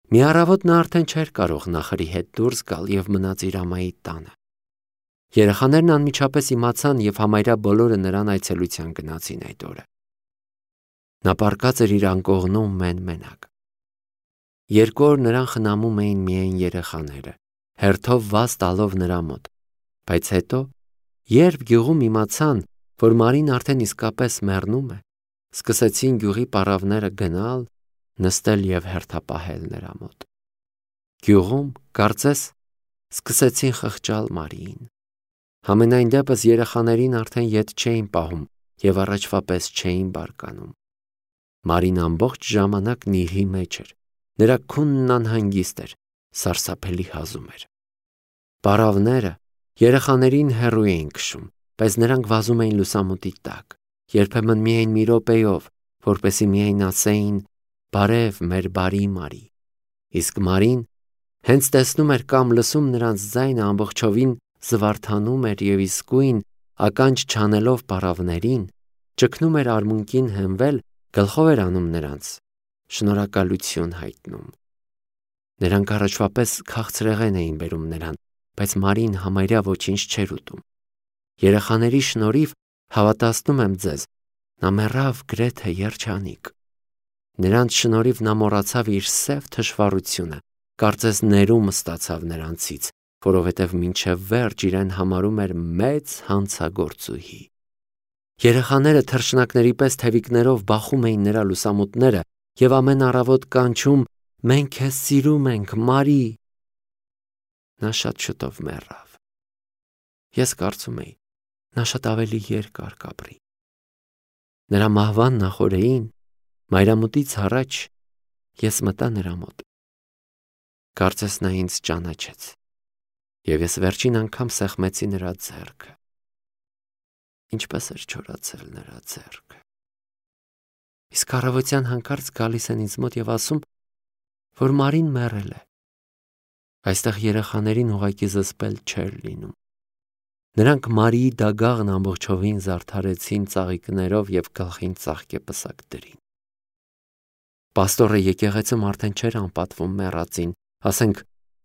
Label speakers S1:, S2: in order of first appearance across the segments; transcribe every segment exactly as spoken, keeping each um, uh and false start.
S1: Մի առավոտ նա արդեն չէր կարող նախրի հետ դուրս գալ և մնաց իր ամայի տանը։ Երեխաներն անմիջապես իմացան և համարյա բոլորը նրան այցելության գնացին այդ օրը։ Նա պառկած էր իր անկողնում մեն-մենակ։ Երկու օր նրան խնամում էին միայն երեխաները, հերթով վազ տալով նրա մոտ, բայց հետո, երբ գյուղում իմացան, որ Մարին արդեն իսկապես մեռնում է, սկսեցին գյուղի պառավները գնալ, նստել և հերթապահել նրա մոտ։ Գյուղում, կարծես, սկսեցին խղճալ Մարիին։ Համենայն դեպս երեխաներին արդեն ետ չէին պահում և առաջվա պես չէին բարկանում։ Մարին ամբողջ ժամանակ նիրհի մեջ էր, նրա քունն անհանգիստ էր, սարսափելի հազում էր։ Պառավները երեխաներին հեռու էին քշում, բայց նրանք վազում էին լուսամուտի տակ, երբեմն միայն մի րոպեով, որպեսզի միայն ասեին «Բարև, մեր բարի Մարի», իսկ Մարին հենց տեսնում էր կամ լսում նրանց ձայնը ամբողջովին զվարթանում էր և իսկույն ականջ չանելով պառավներին, ճգնում էր արմունկին հենվել, գլխով էր անում նրանց, շնորհակալություն հայտնում։ Նրանք առաջվա պես քաղցրեղեն էին բերում նրան, բայց Մարին համարյա ոչինչ չէր ուտում։ Երեխաների շնորհիվ, հավատացնում եմ ձեզ, նա մեռավ գրեթե երջանիկ։ Նրանց շնորհիվ նա մոռացավ իր սև թշվառությունը, կարծես ներում ստացավ նրանցից, որովհետև մինչև վերջ իրեն համարում էր մեծ հանցագործուհի։ Երեխաները թռչնակների պես թևիկներով բախում էին նրա լուսամուտները և ամեն առավոտ կանչում «Մենք քեզ սիրում ենք, Մարի»։ Նա շատ շուտով մեռավ։ Ես կարծում էի, նա շատ ավելի երկար կապրի։ Նրա մահվան նախօրեին, մայրամուտից առաջ, ես մտա նրա մոտ։ Կարծես նա ինձ ճանաչեց, և ես վերջին անգամ սեղմեցի նրա ձեռքը։ Ինչպես էր չորացել նրա ձեռքը։ Իսկ առավոտյան հանկարծ գալիս են ինձ մոտ և ասում, որ Մարին մեռել է։ Այստեղ երեխաներին ուղղակի զսպել չէր լինում։ Նրանք Մարիի դագաղն ամբողջովին զարդարեցին ծաղիկներով և գլխին ծաղկեպսակ դրին։ Պաստորը եկեղեցում արդեն չէր անպատվում մեռածին, ասենք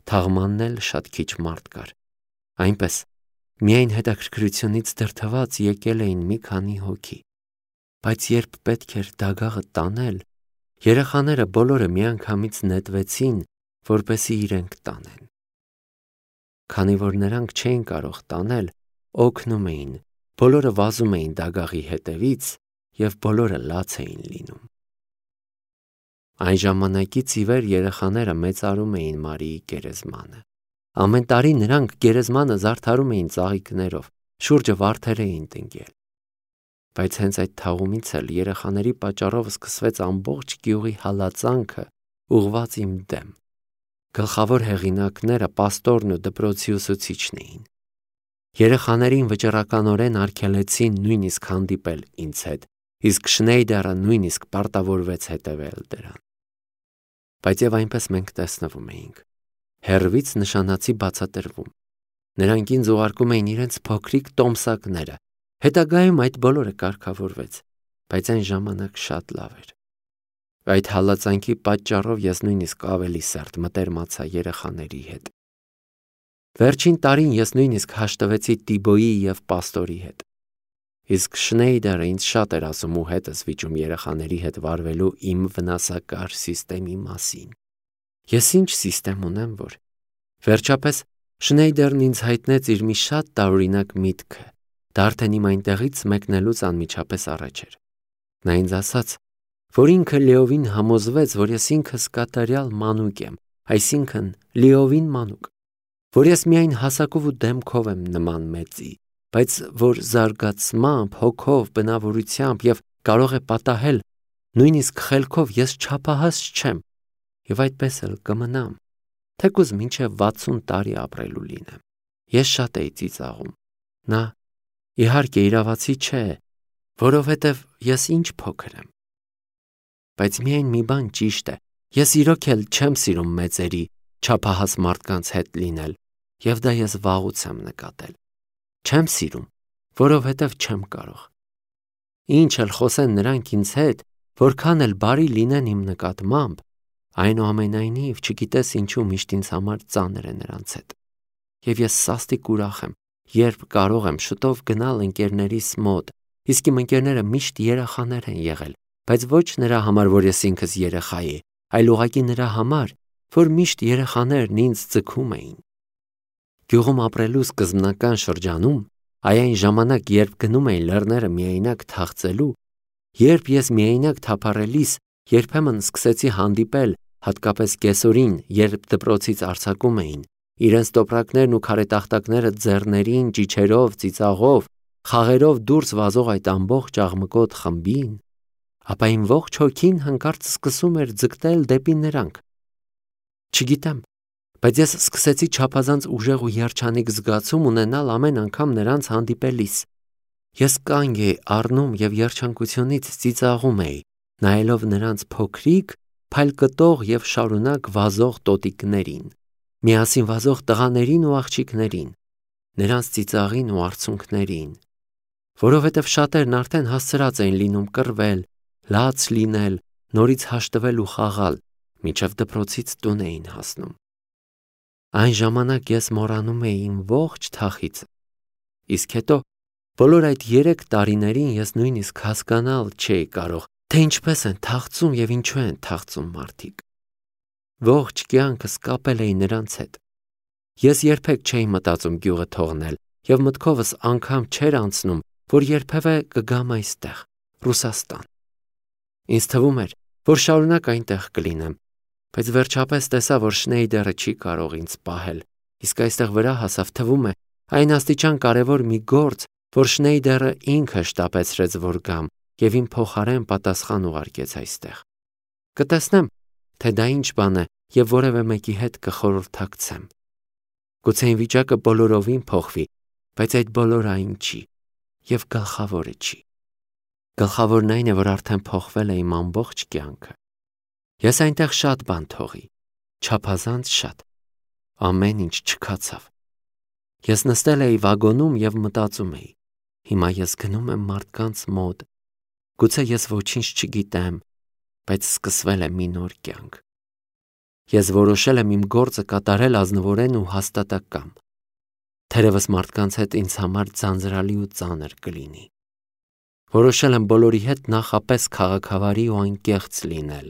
S1: թաղմանն էլ շատ քիչ մարդ կար։ Այնպես, միայն հետաքրքրությունից դրդված եկել էին մի քանի հոգի, բայց երբ պետք էր դագաղը տանել, երեխաները բոլորը միանգամից նետվեցին, որպեսզի իրենք տանեն։ Քանի որ նրանք չէին կարող տանել, օգնում էին, բոլորը վազում էին դագաղի հետևից և բոլորը լաց էին լինում։ Այն ժամանակից ի վեր երեխաները մեծարում էին Մարիի գերեզմանը։ Ամեն տարի նրանք գերեզմանը զարդարում էին ծաղիկներով, շուրջը վարդեր էին տնկել։ Բայց հենց այդ թաղումից էլ երեխաների պատճառով սկսվեց ամբողջ գյուղի հալածանքը ուղղված իմ դեմ։ Գլխավոր հեղինակները պաստորն ու դպրոցի ուսուցիչն էին։ Երեխաներին վճռականորեն արգելեցին նույնիսկ հանդիպել ինձ հետ, իսկ Շնեյդերը նույնիսկ պարտավորվեց հետևել դրան։ Բայց և այնպես մենք տեսնվում էինք։ Հեռվից նշանացի բացատրվում։ Նրանք ինձ ուղարկում էին իրենց փոքրիկ տոմսակները։ Հետագայում այդ բոլորը կարգավորվեց, բայց այն ժամանակ շատ լավ էր։ Այդ հալածանքի պատճառով ես նույնիսկ ավելի սերտ մտերմացա երեխաների հետ։ Վերջին տարին ես նույնիսկ հաշտվեցի Տիբոյի և պաստորի հետ։ Իսկ Շնեյդերը ինձ շատ էր ասում ու հետս վիճում երեխաների հետ վարվելու իմ վնասակար սիստեմի մասին։ Ես ինչ սիստեմ ունեմ, որ… Վերջապես Շնեյդերն ինձ հայտնեց իր մի շատ տարօրինակ միտքը, դա արդեն իմ այնտեղից մեկնելուց անմիջապես առաջ էր։ Նա ինձ ասաց, որ ինքը լիովին համոզվեց, որ ես ինքս կատարյալ մանուկ եմ, այսինքն լիովին մանուկ, որ ես միայն հասակով ու դեմքով եմ նման մեծի, բայց որ զարգացմամբ, հոգով, բնավորությամբ և կարող է պատահել, նույնիսկ խելքով ես չափահաս չեմ և այդպես էլ կմնամ, թեկուզ մինչև վաթսուն տարի ապրելու լինեմ։ Ես շատ էի ծիծաղում։ Նա, իհարկե, իրավացի չէ, որովհետև ես ինչ փոքր եմ։ Բայց միայն մի բան ճիշտ է, ես իրոք էլ չեմ սիրում մեծերի, չափահաս մարդկանց հետ լինել, և դա ես վաղուց եմ նկատել։ Չեմ սիրում, որովհետև չեմ կարող։ Ինչ էլ խոսեն նրանք ինձ հետ, որքան էլ բարի լինեն իմ նկատմամբ, Այնուամենայնիվ չգիտես ինչու միշտ ինձ համար ծանր է նրանց հետ։ Եվ ես սաստիկ ուրախ եմ, երբ կարող եմ շուտով գնալ ընկերներիս մոտ, իսկ իմ ընկերները միշտ երեխաներ են եղել, բայց ոչ նրա համար, որ ես ինքս երեխայի, այլ ուղղակի նրա համար, որ միշտ երեխաներն ինձ ձգում էին։ Գյուղում ապրելու սկզբնական շրջանում, այ այն ժամանակ, երբ գնում էին լեռները միայնակ թախծելու, երբ ես միայնակ թափառելիս երբեմն սկսեցի հանդիպել, հատկապես կեսօրին, երբ դպրոցից արձակում էին, իրենց տոպրակներն ու քարետախտակները ձեռներին, ճիչերով, ծիծաղով, խաղերով դուրս վազող այդ ամբողջ աղմկոտ խմբին, ապա իմ ողջ հոգին հանկարծ սկսում էր ձգտել դեպի նրանք։ Չգիտեմ, բայց ես սկսեցի չափազանց ուժեղ ու երջանիկ զգացում ունենալ ամեն անգամ նրանց հանդիպելիս։ Ես կանգ էի առնում և երջանկությունից ծիծաղում էի, նայելով նրանց փոքրիկ, փայլկտող և շարունակ վազող տոտիկներին, միասին վազող տղաներին ու աղջիկներին, նրանց ծիծաղին ու արցունքներին, որովհետև շատերն արդեն հասցրած էին լինում կռվել, լաց լինել, նորից հաշտվել ու խաղալ, մինչև դպրոցից տուն էին հասնում։ Այն ժամանակ ես մոռանում էի իմ ողջ թախիծը, իսկ հետո բոլոր այդ երեք տարիներին ես նույնիսկ հասկանալ չէի կարող, թե ինչպես են թախծում և ինչու են թախծում մարդիկ։ Ողջ կյանքս կապել էի նրանց հետ։ Ես երբեք չէի մտածում գյուղը թողնել և մտքովս անգամ չէր անցնում, որ երբևէ կգամ այստեղ, Ռուսաստան։ Ինձ թվում էր, որ շարունակ այնտեղ կլինեմ, բայց վերջապես տեսա, որ Շնեյդերը չի կարող ինձ պահել, իսկ այստեղ վրա հասավ, թվում է, այն աստիճան կարևոր մի գործ, որ Շնեյդերը ինքը շտապեցրեց, որ գամ և իմ փոխարեն պատասխան ուղարկեց այստեղ։ Կտեսնեմ, թե դա ինչ բան է և որևէ մեկի հետ կխորհրդակցեմ։ Գուցե իմ վիճակը բոլորովին փոխվի, բայց այդ բոլորը այն չի և գլխավորը չի։ Գլխավորն այն է, որ արդեն փոխվել է իմ ամբողջ կյանքը։ Ես այնտեղ շատ բան թողի, չափազանց շատ, ամեն ինչ չքացավ։ Ես նստել էի վագոնում և մտածում էի. հիմա ես գնում եմ մարդկանց մոտ, գուցե ես ոչինչ չգիտեմ, բայց սկսվել է մի նոր կյանք։ Ես որոշել եմ իմ գործը կատարել ազնվորեն ու հաստատակամ։ Թերևս մարդկանց հետ ինձ համար ձանձրալի ու ծանր կլինի։ Որոշել եմ բոլորի հետ նախապես քաղաքավարի ու անկեղծ լինել,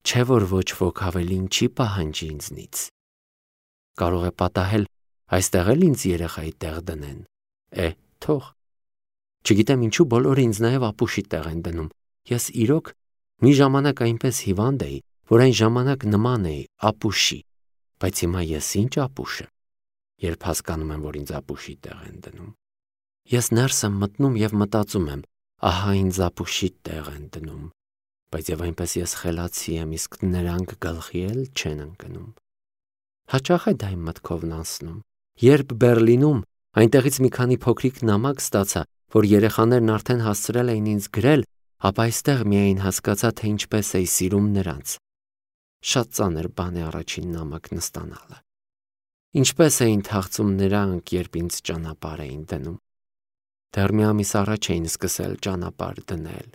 S1: չէ՞ որ ոչ ոք ավելին չի պահանջի ինձնից։ Կարող է պատահել այստեղ էլ ինձ երեխայի տեղ դնեն, է, թող։ Չգիտեմ ինչու բոլորը ինձ նաև ապուշի տեղ են դնում։ Ես իրոք մի ժամանակ այնպես հիվանդ էի, որ այն ժամանակ նման էի ապուշի, բայց հիմա ես ինչ ապուշը, երբ հասկանում եմ, որ ինձ ապուշի տեղ են դնում։ Ես ներս եմ մտնում և մտածում եմ, ահա ինձ ապուշի տեղ են դնում, բայց և այնպես ես խելացի եմ, իսկ նրանք գլխի էլ չեն ընկնում։ Հաճախ է դա իմ մտքովն անցնում։ Երբ Բեռլինում այնտեղից մի քանի փոքրիկ նամակ ստացա, որ երեխաներն արդեն հասցրել էին ինձ գրել, ապա այստեղ միայն հասկացա, թե ինչպես էի սիրում նրանց։ Շատ ծանր բան է առաջին նամակն ստանալը։ Ինչպես էին թախծում նրանք, երբ ինձ ճանապարհ էին դնում։ Դեռ մի ամիս առաջ էին սկսել ճանապարհ դնել։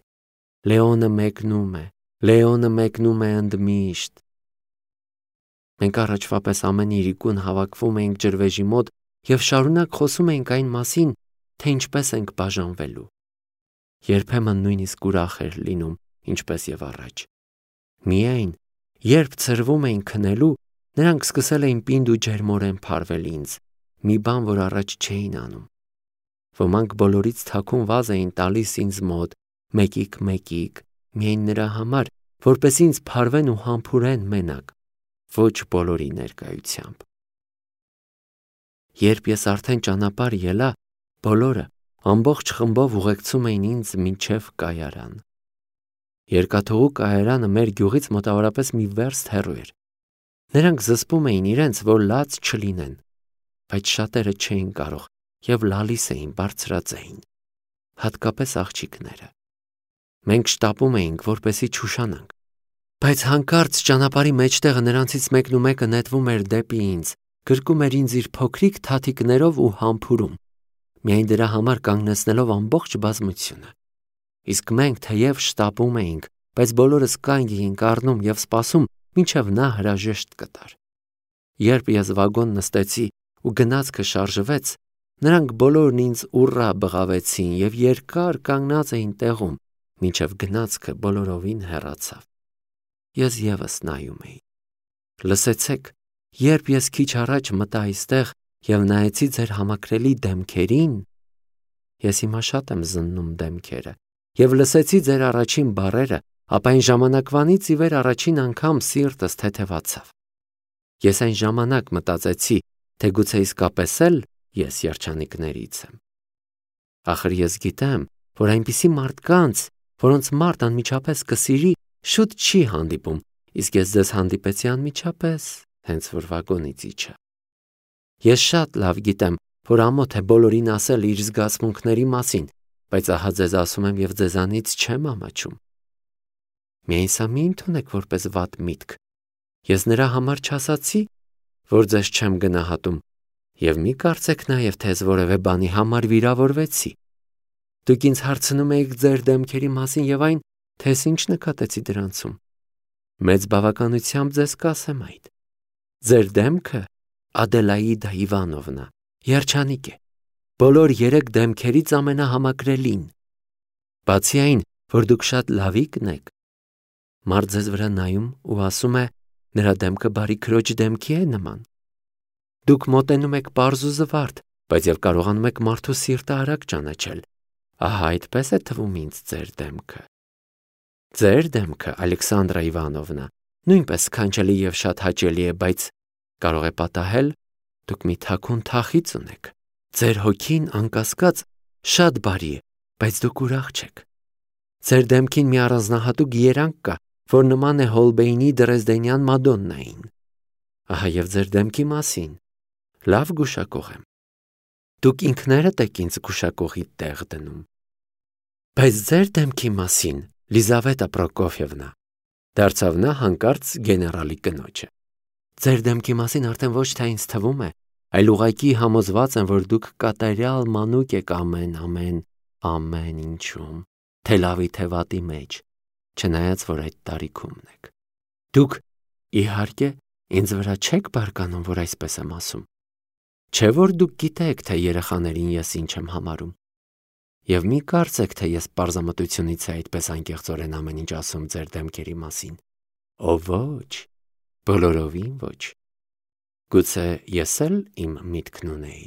S1: Լեոնը մեկնում է, Լեոնը մեկնում է ընդմիշտ։ Մենք առաջվա պես ամեն իրիկուն հավաքվում էինք ջրվեժի մոտ և շարունակ խոսում էինք այն մասին, թե ինչպես ենք բաժանվելու։ Երբեմն նույնիսկ ուրախ էր լինում, ինչպես և առաջ։ Միայն, երբ ցրվում էին քնելու, նրանք սկսել էին պինդ ու ջերմորեն փարվել ինձ, մի բան, որ առաջ չէին անում։ Ոմանք բոլորից թաքուն վազ էին տալիս ինձ մոտ, մեկիկ-մեկիկ, միայն նրա համար, որպես ինձ փարվեն ու համբուրեն մենակ, ոչ բոլորի ներկայությամբ։ Երբ ես արդեն ճանապարհ ելա, բոլորը ամբողջ խմբով ուղեկցում էին ինձ մինչև կայարան։ Երկաթուղու կայարանը մեր գյուղից մոտավորապես մի վերստ հեռու էր։ Նրանք զսպում էին իրենց, որ լաց չլինեն, բայց շատերը չէին կարող և լալիս էին, բարձրաձայն, հատկապես աղջիկները։ Մենք շտապում էինք, որպեսզի չուշանանք, բայց հանկարծ ճանապարհի մեջտեղը նրանցից մեկն ու մեկը նետվում էր դեպի ինձ, գրկում էր ինձ իր փոքրիկ թաթիկներով ու համբուրում, միայն դրա համար կանգնեցնելով ամբողջ բազմությունը։ Իսկ մենք թեև շտապում էինք, բայց բոլորս կանգ էինք առնում և սպասում, մինչև նա հրաժեշտ կտար։ Երբ ես վագոն նստեցի ու գնացքը շարժվեց, նրանք բոլորն ինձ ուռա բղավեցին և երկար կանգնած էին տեղում, մինչև գնացքը բոլորովին հեռացավ։ Ես ևս նայում էի։ Լսեցեք, երբ ես քիչ առաջ մտա այստեղ և նայեցի ձեր համակրելի դեմքերին, ես հիմա շատ եմ զննում դեմքերը, և լսեցի ձեր առաջին բառերը, ապա այն ժամանակվանից ի վեր առաջին անգամ սիրտս թեթևացավ։ Ես այն ժամանակ մտածեցի, թե գուցե իսկապես էլ ես երջանիկներից եմ։ Ախր ես գիտեմ, որ այնպիսի մարդկանց, որոնց մարդ անմիջապես կսիրի, շուտ չի հանդիպում, իսկ ես ձեզ հանդիպեցի անմիջապես, հենց որ վագոնից իջա։ Ես շատ լավ գիտեմ, որ ամոթ է բոլորին ասել իր զգացմունքների մասին, բայց ահա ձեզ ասում եմ և ձեզանից չեմ ամաչում։ Միայն սա մի ընդունեք որպես վատ միտք։ Ես նրա համար չասացի, որ ձեզ չեմ գնահատում, և մի կարծեք նաև, թե ես որևէ բանի համար վիրավորվեցի։ Դուք ինձ հարցնում եք ձեր դեմքերի մասին և այն, թե ես ինչ նկատեցի դրանցում։ Մեծ բավականությամբ ձեզ կասեմ այդ։ Ձեր դեմքը, Ադելաիդա Իվանովնա, երջանիկ է, բոլոր երեք դեմքերից ամենահամակրելին։ Բացի այն, որ դուք շատ լավիկն եք, մարդ ձեզ վրա նայում ու ասում է, նրա դեմքը բարի քրոջ դեմքի է նման։ Դուք մոտենում եք պարզ ու զվարթ, բայց և կարողանում եք մարդու սիրտը արագ ճանաչել։ Ահա այդպես է թվում ինձ ձեր դեմքը։ Ձեր դեմքը, Ալեքսանդրա Իվանովնա, նույնպես սքանչելի և շատ հաճելի է, բայց կարող է պատահել, դուք մի թաքուն թախիծ ունեք։ Ձեր հոգին, անկասկած, շատ բարի է, բայց դուք ուրախ չեք։ Ձեր դեմքին մի առանձնահատուկ երանգ կա, որ նման է Հոլբեյնի Դրեզդենյան Մադոննային։ Ահա և ձեր դեմքի մասին լավ գուշակող եմ։ Դուք ինքներդ եք ինձ գուշակողի տեղ դնում։ Բայց ձեր դեմքի մասին, Լիզավետա Պրոկոֆյևնա, դարձավ նա հանկարծ գեներալի կնոջը։ Ձեր դեմքի մասին արդեն ոչ թե ինձ թվում է, այլ ուղղակի համոզված եմ, որ դուք կատարյալ մանուկ եք ամեն, ամեն, ամեն ինչում, թե լավի, թե վատի մեջ, չնայած որ այդ տարիքում եք։ Դուք, իհարկե, ինձ վրա չեք բարկանում, որ այսպես եմ ասում։ Չէ՞ որ դուք գիտեք, թե երեխաներին ես ինչ եմ համարում։ Եվ մի կարծեք, թե ես պարզամտությունից է այդպես անկեղծորեն ամեն ինչ ասում ձեր դեմքերի մասին։ Ո ոչ, բոլորովին ոչ։ Գուցե ես էլ իմ միտքն ունեի։